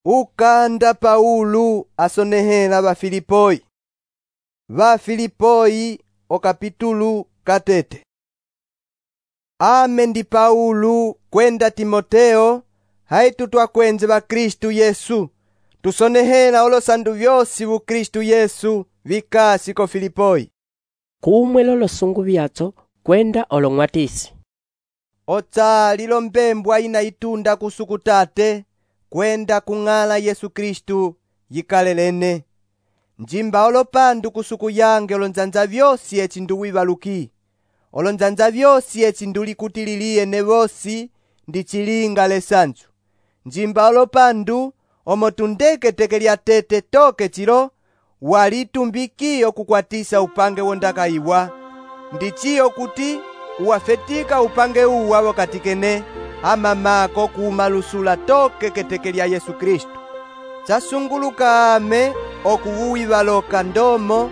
Ukanda Paulo asonehela Bafilipoi. Bafilipoi okapitulu katete. Ame ndi Paulo kwenda Timoteo, haitu twakwenze ba Kristu Yesu, tusonehela olosandu vyosi bu Kristu Yesu vikasi ko Filipoi. Kumwe lolosungu byatso kwenda olong'watisi. Otsali lombembwa ina itunda kusukutate kwenda kung'ala Yesu Kristu yikalelene. Njimba olopandu kusuku yange olonzanza vyosi eci nduwibaluki. Olonzanza vyosi eci ndulikutililiye ne vosi ndi chilinga lesanzu. Njimba olopandu omotundeke lya tete toke chilo walitumbikiyo kukwatisa upange wondakaiwa. Ndichiyo kuti uwafetika upange uwa wokatikene amamako kuumalusula toke keteke lya Yesu Kristu. Chasunguluka ame okuwuwibaloka ndomo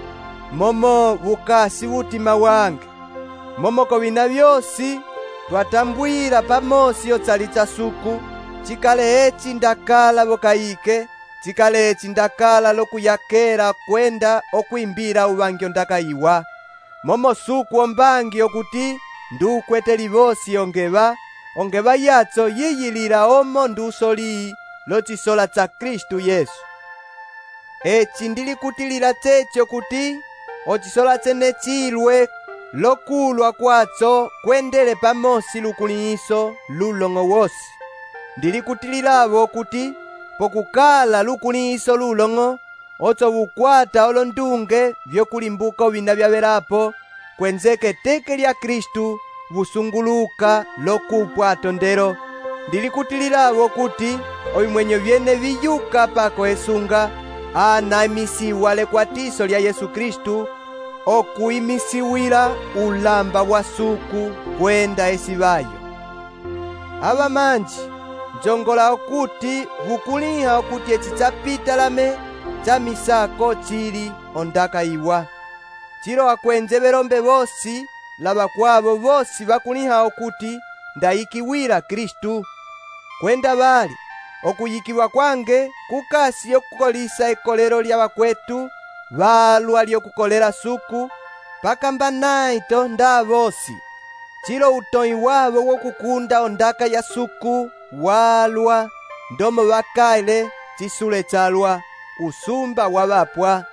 momo bukasi wutima wange. Momoko bina vyosi twatambwira pamosi yotsali chasuku, chikale eci ndakala bokaike, chikale eci ndakala lokuyakera kwenda okwimbira ubangyo ndakaiwa. Momo suku ombangi okuti ndukwete vosi ongeba yatso yiyilira omo ndusoli lochisola cha Kristu Yesu. Eci ndilikutilira checho kuti ochisola chene chilwe lokulwa kwatso kwendele pamosi lukuliso lulongo wosi. Ndilikutiliravo kuti pokukala lukuliso lulongo otso bukwata olondunge vyokulimbuka ovina vyavelapo kwenzeke teke lya Kristu busunguluka lokupwa atondero. Ndilikutiliravo kuti ovimwenyo vyene viyuka pako esunga anamisiwa lekwatiso lya Yesu Kristu okuimisiwila ulamba wa suku kwenda esibayo. Aba manji njongola okuti bukuliha okuti eci chapita lame cha misako chili ondakaiwa. Chilo akwenze belombe bosi laba kwabo bosi bakuliha okuti ndayikiwila Kristu. Kwenda bali okuyikiwa kwange kukasi yokukolisa ekolero lya bakwetu balwa lyokukolera suku pakamba naito nda bosi. Chilo utoi wabo wokukunda ondaka ya suku walwa ndomo bakaile chisule chalwa usumba wabapwa.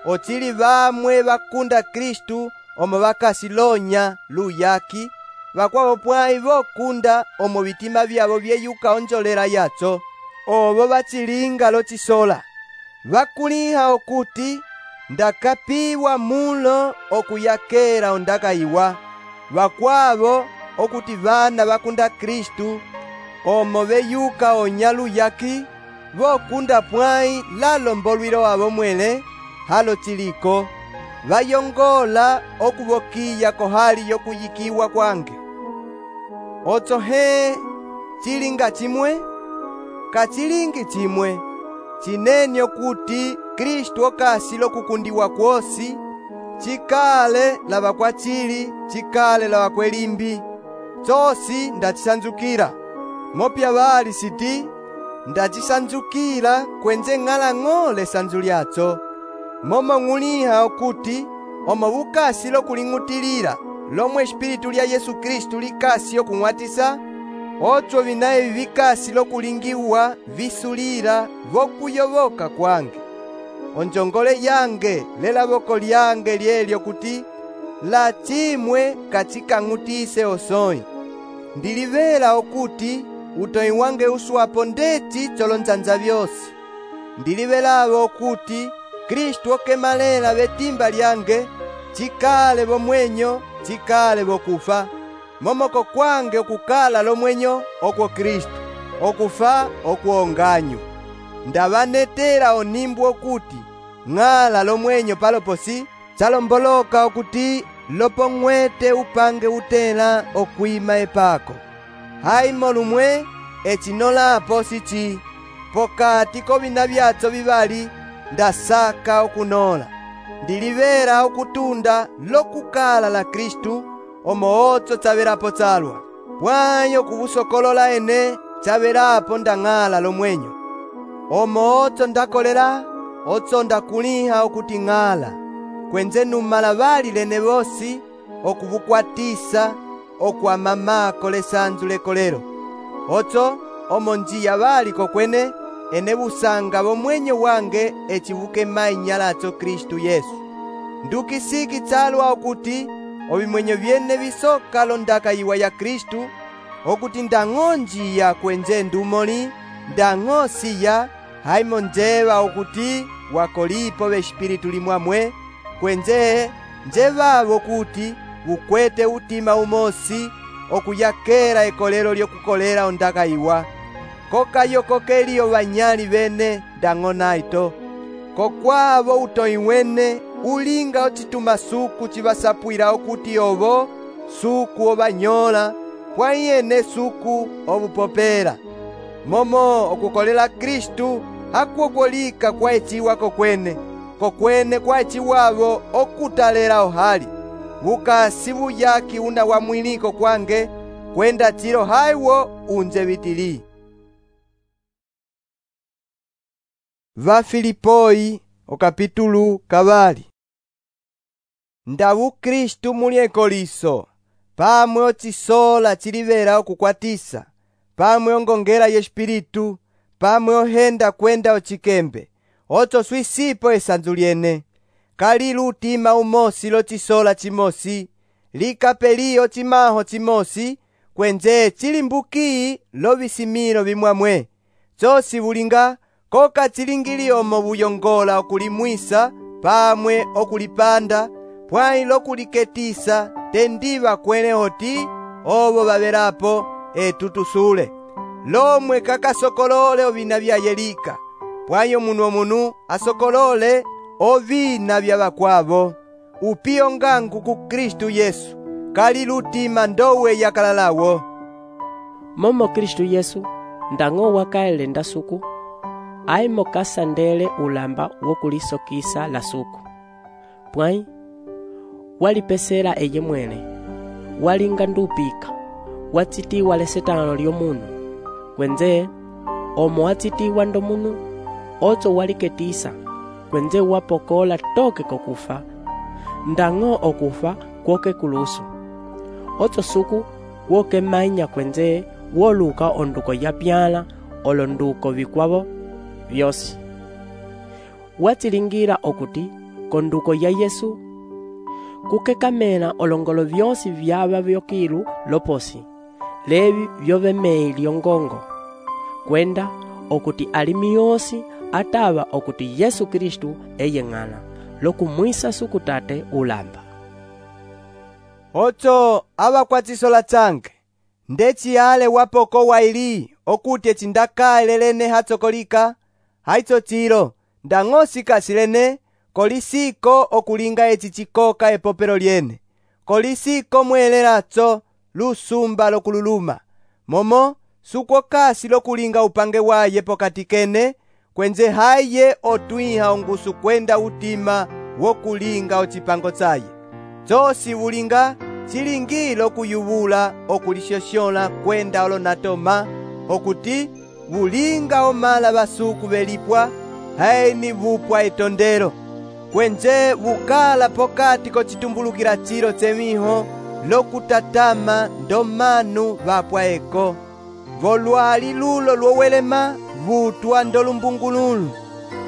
Ochili bamwe bakunda Kristu omo bakasilonya luyaki bakwabo pwai bokunda omo bitima byabo byeyuka onjolera yatso obo bachilinga lochisola. Bakuliha okuti ndakapiwa mulo okuyakera ondakaiwa. Bakwabo okuti bana bakunda Kristu omo beyuka onyaluyaki bokunda pwai lalombolwilo abo mwele halo chiliko bayongola okubokiya kohali yokuyikiwa kwange. Otso he chilinga chimwe kachilingi chimwe chinenyo kuti Kristu okasi lokukundiwa kwosi chikale laba kwa chili chikale laba kwelimbi chosi ndachisanzukira. Mopya bali siti ndachisanzukira kwenze ng'ala ng'ole sanzu lyatso. Momo ng'uliha okuti omo bukasi lokuling'utilira lomwe Espiritu lya Yesu Kristu likasi okung'watisa, otso binaye bikasi lokulingiwa visulira vokuyoboka kwange. Onjongole yange lela boko lyange lyelyo kuti la chimwe kachikang'utise osoi. Ndilivela okuti utoi wange uswapo ndeti cholonzanza vyosi. Ndilivelavo okuti Kristu okemalela betimba lyange chikale bomwenyo chikale bokufa. Momoko kwange okukala lomwenyo okwo Kristu, okufa okuonganyu. Ndabanetera onimbu okuti ng'ala lomwenyo paloposi chalomboloka okuti lopong'wete upange utela okwima epako. Haimo lumwe echinolapo sichi pokati kobina byatso bibali ndasaka okunola. Ndilivera okutunda lokukala la Kristu omo otso chaberapo chalwa pwayo kubusokolola ene chaberapo ndang'ala lomwenyo. omo otso ndakolela, otso ndakuliha okuti ng'ala, kwenze numala bali lene bosi, okubukwatisa, okuamamako lesanzu lekolelo. Otso omo njiya bali kokwene, ene busanga bomwenye wange echibuke mainya latso Kristu Yesu. Ndukisiki tsalwa okuti obimwenye byene bisoka londaka iwa ya Kristu, okuti ndang'o njiya kwenze ndumoli, ndang'o siya, haimo njeba okuti wakolipo b'espiritu limwamwe, kwenze njebabo kuti bukwete utima umosi, okuyakela ekolelo lyokukolela ondaka iwa. Kokayo kokeliyo banyali bene ndang'o naito. Kokwabo utoi wene ulinga ochituma suku chibasapwila okuti obo suku obanyola, pwayene suku obupopela. Momo okukolela Kristu hakuokolika kwa echiwa kokwene, kokwene kwa echiwabo okutalela ohali. Bukasi buyaki una wa mwiliko kwange, kwenda chilo haiwo unze bitili. Vafilipoi okapitulu kabali. Ndabu Kristu muli ekoliso, pamwe ochisola chilibela okukwatisa, pamwe ongongela y'espiritu, pamwe ohenda kwenda ochikembe, otso swisipo esanzu lyene. Kalilu utima umosi lochisola chimosi, likapeliyo chimaho chimosi, kwenze chilimbuki lobisimilo bimwamwe. Chosi bulinga koka chilingili omo buyongola okulimwisa, pamwe okulipanda, pwai lokuliketisa, tendiba kwene oti, obo babelapo etutusule. Lomwe kakasokolole ovina bya yelika, pwai omunu asokolole ovina bya bakwabo. Upiyo ngangu ku Kristu Yesu, kalilu utima ndowe yakalalawo. Momo Kristu Yesu ndang'o wakaele ndasuku, aimo kasandele ulamba wokulisokisa la suku. Pwai walipesera eye mwene, walinga ndupika, watsitiwa lesetano lyomunu, kwenze omo watsitiwa ndomunu, otso waliketisa, kwenze wapokola toke kokufa, ndang'o okufa kwoke kulusu. Otso suku woke mainya kwenze woluka onduko ya pyala olonduko bikwabo byosi. Watsilingira okuti konduko ya Yesu kukekamela olongolo byosi byaba byokilu loposi, lebi byobemei lyongongo, kwenda okuti alimi yosi ataba okuti Yesu Kristu eye ng'ala lokumwisa sukutate ulamba. Otso abakwatisola tsange, ndechi ale wapoko waili okuti echindakale lene hatsokolika, haitso chilo ndang'o sikasilene, kolisiko okulinga echi chikoka epopelo lyene, kolisiko mwelelatso lusumba lokululuma, momo sukokasi lokulinga upange waye pokati kene, kwenze haye otwiha ongusu kwenda utima wokulinga ochipango tsaye. Chosi bulinga chilingilo kuyubula okulishoshola kwenda olonatoma, okuti bulinga omala basuku belipwa, haini bupwa etondelo, kwenze bukala pokati kochitumbulukila chilo tsemiho lokutatama ndomanu bapwa eko. Volwali lulo lwowelema butwa ndolumbungululu,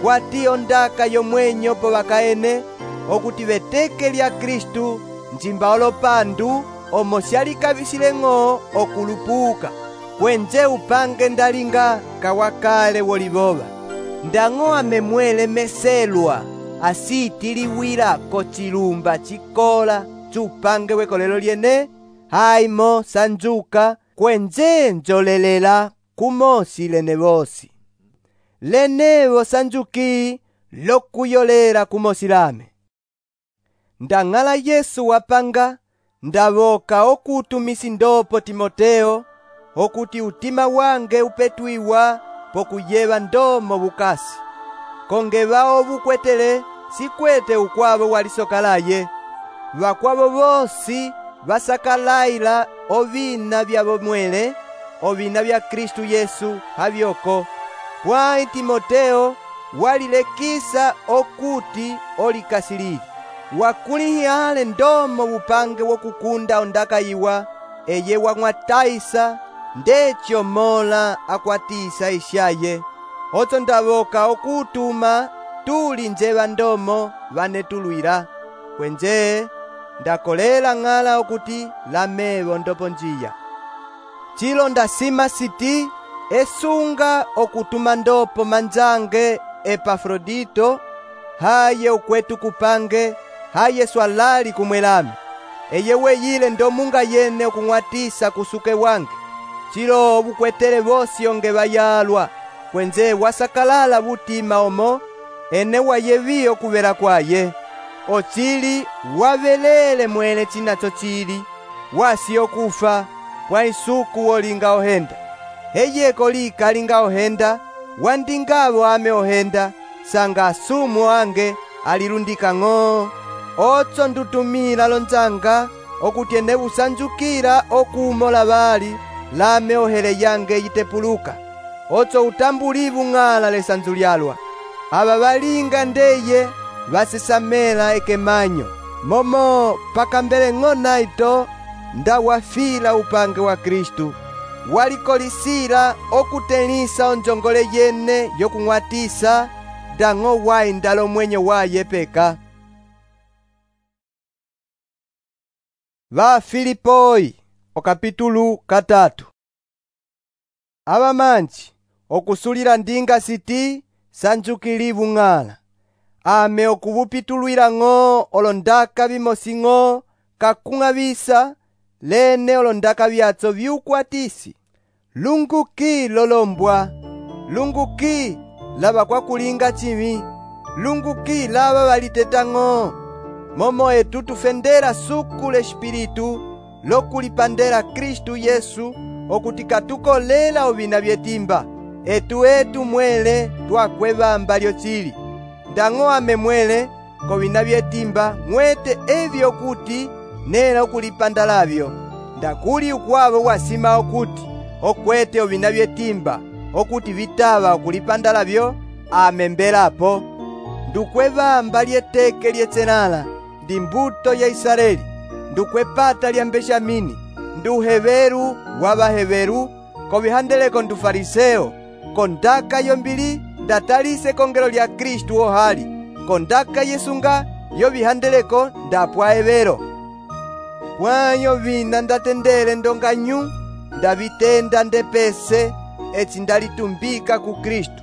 kwatiyo ndaka yomwenyo po bakaene, okuti beteke lya Kristu njimba olopandu omo syalikabisile ng'o okulupuka, kwenze upange ndalinga kawakale woliboba. Ndang'o amemwele meselwa asitiliwila kochilumba chikola chupange wekolelo lyene, haimo sanjuka kwenze njolelela kumosi lene bosi. Lenevo sanjuki lokuyolela kumosi lame. Ndang'ala Yesu wapanga, ndaboka okutumisi ndopo Timoteo, okuti utima wange upetwiwa pokuyeba ndomo bukasi. Kongeba obukwetele sikwete ukwabo walisokalaye, bakwabo bosi basakalaila ovina bya bomwele, ovina bya Kristu Yesu habyoko. pwayi Timoteo walilekisa okuti olikasilili. Wakulihale ndomo upange wokukunda ondakayiwa eye wang'wataisa ndecho mola akwatisa ishaye. Otso ndavoka okutuma tuli njeva ndomo vanetulwira. Kwenje ndakolela ng'ala okuti lamevo ndopo njiya. Chilo ndasima siti esunga okutuma ndopo manjange Epafrodito haye ukwetu kupange haye swalali kumwelami. Eye weyile ndomunga yene okung'watisa kusuke wange. Chilo bukwetele bosi onge bayalwa. Kwenze wasakalala butima omo ene wayevi okuvela kwaye. Ochili wavelele mwele chinacho chili wasi okufa kwa isuku olinga ohenda. Heyeko lika alinga ohenda wandingavo ame ohenda sanga asumu ange alirundika ng'o. Otso ndutumila lonzanga okuti ene busanjukira okumola bali lame ohele yange yitepuluka. Otso utambulivu ng'ala lesanzu lyalwa. Aba balinga ndeye basisamela ekemanyo. Momo pakambele ng'ona ito ndawafila upange wa Kristu. Walikolisila okutelisa onjongole yene yokung'watisa dang'o wayi ndalo mwenye waye peka. Va Filipoi okapitulu 3. Abamanji okusulila ndinga siti sanjukilivu ng'ala. Ame okubupitulwila ng'o olondaka bimosing'o kakung'abisa lene olondaka byatso byukwatisi. Lunguki lolombwa. Lunguki laba kwa kulinga chimi. Lunguki laba baliteta ng'o. Momo etu tufendera suku l'espiritu lokulipandera Kristu Yesu okutika tukolela obina byetimba. Etu mwele twakwebamba lyochili. Ndang'o ame mwele kobina byetimba mwete ebyo okuti nela okulipanda labyo. Ndakuli ukwabo wasima okuti okwete obina byetimba okuti vitaba okulipanda labyo amembelapo. Ndukwebamba lyeteke lyetsenala ndi mbuto ya Israeli. Ndukwepata lya Benjamini nduheveru wabaheveru kobihandeleko ndu fariseo. Kondaka yombili ndatalise kongelo lya Kristu ohali. Kondaka yesunga yo bihandeleko ndapwaevero. Pwayo vina ndatendele ndonganyu ndabitenda ndepese eti ndalitumbika ku Kristu.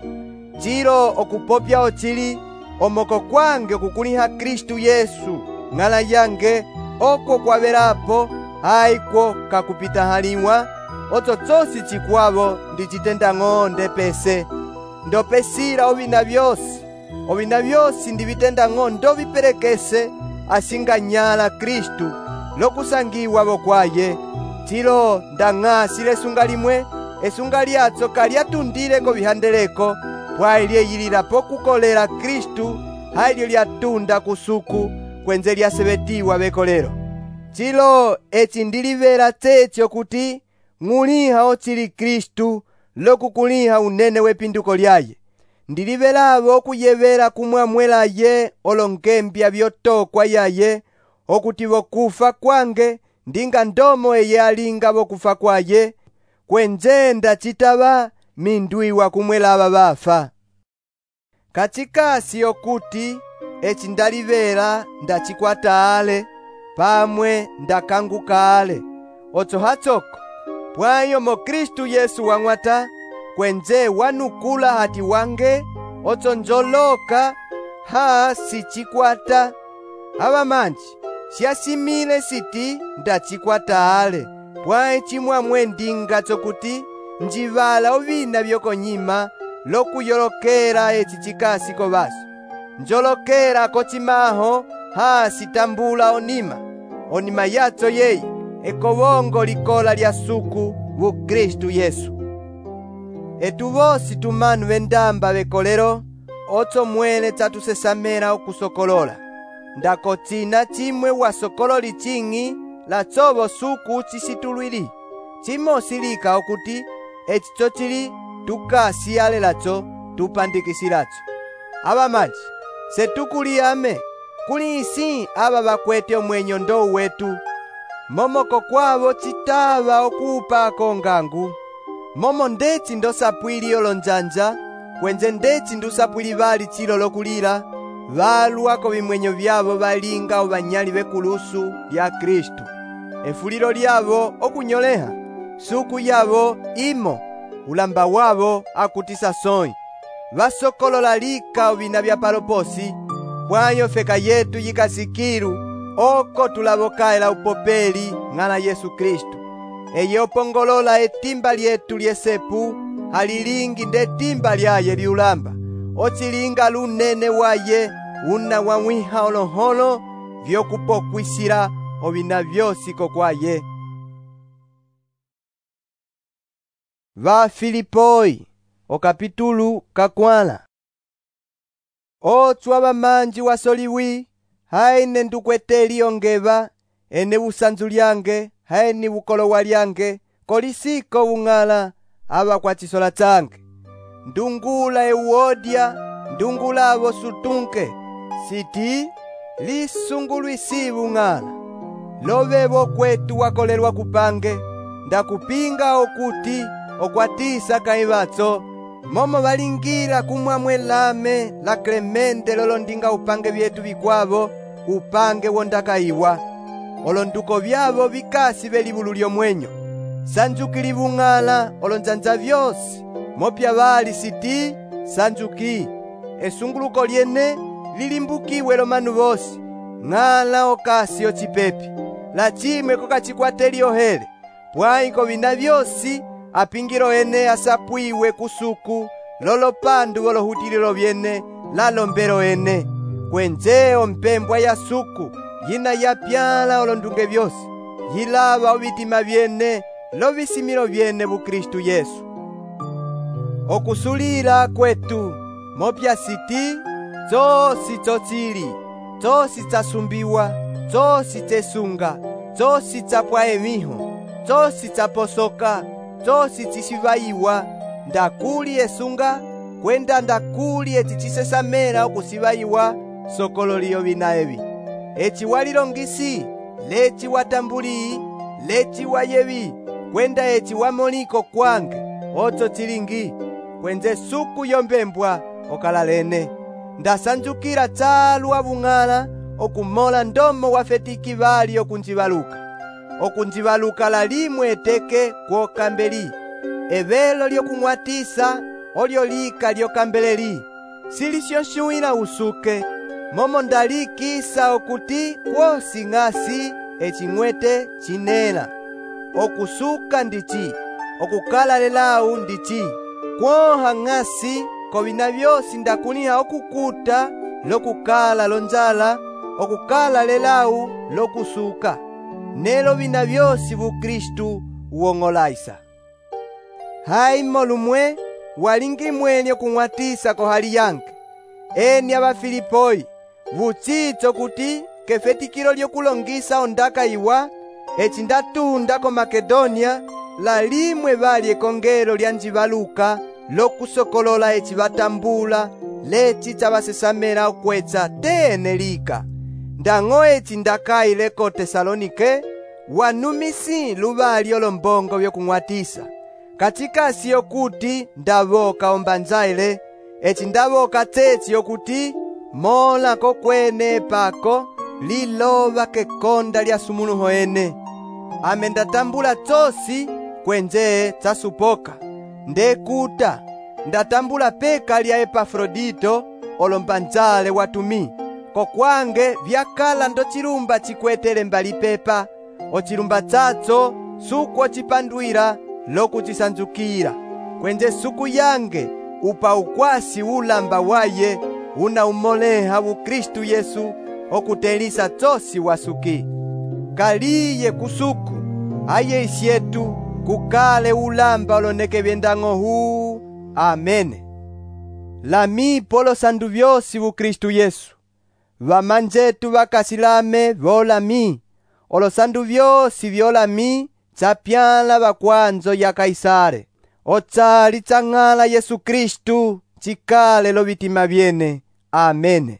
Chilo okupopya ochili omoko kwange okukuliha Kristu Yesu ng'ala yange oko kwabelapo haiko kakupita haliwa. Otso tsosi chikwavo ndichitenda ng'o ndepese. Ndopesila obina byosi ndibitenda ng'o ndobiperekese asinganyala Kristu lokusangiwa bokwaye. Chilo ndang'asile esunga limwe esunga lyatso kalyatundileko bihandeleko pwayi lyeyililapo kukolela Kristu halyo lyatunda kusuku kwenze lyasebetiwa bekolelo. Chilo eci ndilivela tsetyo kuti ng'uliha ochili Kristu lokukuliha unene wepinduko lyaye. Ndilivelavo okuyevela kumwamwelaye olongembya byotokwa yaye okuti bokufa kwange ndinga ndomo eye alinga bokufa kwaye. Kwenje ndachitaba mindwiwa kumwela bafa. Kachikasi okuti eci ndalivela ndachikwata ale pamwe ndakanguka ale. Otso hatsoko pwayo mo Kristu Yesu wang'wata kwenje wanukula hati wange otso njoloka sichikwata. Abamanji syasimile siti ndachikwata ale pwayi chimwamwe ndinga tsokuti njivala ovina byokonyima lokuyolokera eci chikasi kobaso. Njolokera kochimaho sitambula onima yatso yeye ekobongo likola lya suku bu Kristu Yesu. Etu bosi tumanu bendamba bekolero otso mwele tatusesamela okusokolola. Ndakotsina chimwe wasokololi ching'i la tsobo suku chisitulwili. Chimo silika okuti eci chochili tukasiyalelacho tupandikisilacho. Abamanji, setukuliyame kuli isi aba bakwete omwenyo ndo wetu, momoko kwabo citava okuupako ongangu, momo ndeci ndosapwili olonjanja, kwenze ndeci ndusapwili bali chilo lokulila, balwako bimwenyo byabo balinga obanyali bekulusu lya Kristu. Efulilo lyabo okunyoleha, suku yabo imo, ulamba wabo akutisa soi. Basokolola lika obina bya paloposi, pwayo feka yetu yikasikilu, oko tulabokaela upopeli ng'ana Yesu Kristu. Eye opongolola etimba lyetu lyesepu, halilingi nde timba lyaye liulamba, ocilinga lunene waye, una wamwiha oloholo, vyokupokwisila obina byosi kokwaye. Va Filipoi, o kapitulu kakwala. Otsu abamanji wasoliwi, haine ndukweteli ongeva, ene busanzu lyange, haini bukolowa lyange, kolisiko bung'ala, aba kwa chisola change. Ndungula Euodia, ndungula abo sutunke, siti, lisungulwisi bung'ala. Lovebo kwetu wakolelwa kupange, ndakupinga okuti, okwatisa kaibatso, momo balingira kumwamwe lame la Clemente lolondinga upange byetu bikwabo, upange wondakaiwa. Olonduko byabo bikasi belibulu lyomwenyo, sanjukili bung'ala olonjanja byosi, mopya bali siti, sanjuki. Esunguluko lyene lilimbukiwe lomanu bosi, ng'ala okasi ocipepi, la chimwe kokachikwateli ohele, pwaiko bina byosi, apingiro ene asapwiwe kusuku, lolopandu wolohutililo byene, lalombero ene. Kwenjeo mpembwa ya suku, yina yapyala olondunge byosi, yilaba obitima byene, lobisimilo byene bu Kristu Yesu. Okusulila kwetu, mopya siti, zosi chochili, zosi chasumbiwa, zosi chesunga, zosi chapwa emiho, zosi chaposoka, zosi chisivaiwa, ndakuli esunga, kwenda ndakuli etichisesamela okusivaiwa, sokololiyo bina ebi. Echi walilongisi, lechi watambuli, lechi wayebi, kwenda echi wamoliko kwange, ocho chilingi, kwenze suku yombembwa okalalene. Ndasanjukira chalu abung'ala, okumola ndomo wafetiki bali okunjibaluka. Okunjibaluka la limwe eteke kwokambeli, ebelo lyokung'watisa, olyo lika lyokambeleli, silisyosyuila usuke, momo ndalikisa okuti kwosi ng'asi eching'wete chinela. Okusuka ndichi, okukala lelau ndichi, kwoha ng'asi, kobina byosi ndakuniha okukuta, lokukala lonjala, okukala lelau lokusuka. Nelo bina byosi bu Kristu uongolaisa. Haimo lumwe, walingi mwenye kung'watisa kohali yange. Eni aba Filipoi, vuchicho kuti, kefetikilo lyokulongisa ondaka iwa, echi ndatunda ko Makedonia, la limwe bali ekongelo lya njibaluka, lokusokolola echi batambula, lechi chabasesamela okwetsa tene lika. Ndang'o echi ndakaile ko Tesalonike, wanumisi lubali olombongo byokung'watisa. Katikasi yokuti ndaboka ombanzaile, echi ndaboka tsetsi yokuti, mola kokwene pako, liloba kekonda lya sumuluho ene. Ame ndatambula tsosi, kwenje tsasupoka. Ndekuta, ndatambula peka lya Epafrodito, olombanzale watumi. Kokwange vyakala ndo chilumba chikwetele mbali pepa, ochilumba tsatso suku ochipandwira lokuchisanjukira. Kwenje suku yange upa ukwasi ulamba waye, una umoleha bu Kristu Yesu, okutelisa tsosi wasuki. Kaliye kusuku, aye isyetu, kukale ulamba oloneke byendang'o huu. Amene. Lami polo sandu byosi bu Kristu Yesu. Vamanjetu vakasilame volami, olosandu byosi vyolami, chapyala bakwanzo ya Kaisare. Otsali tsang'ala Yesu Kristu cikale lovitima vyene. Amene.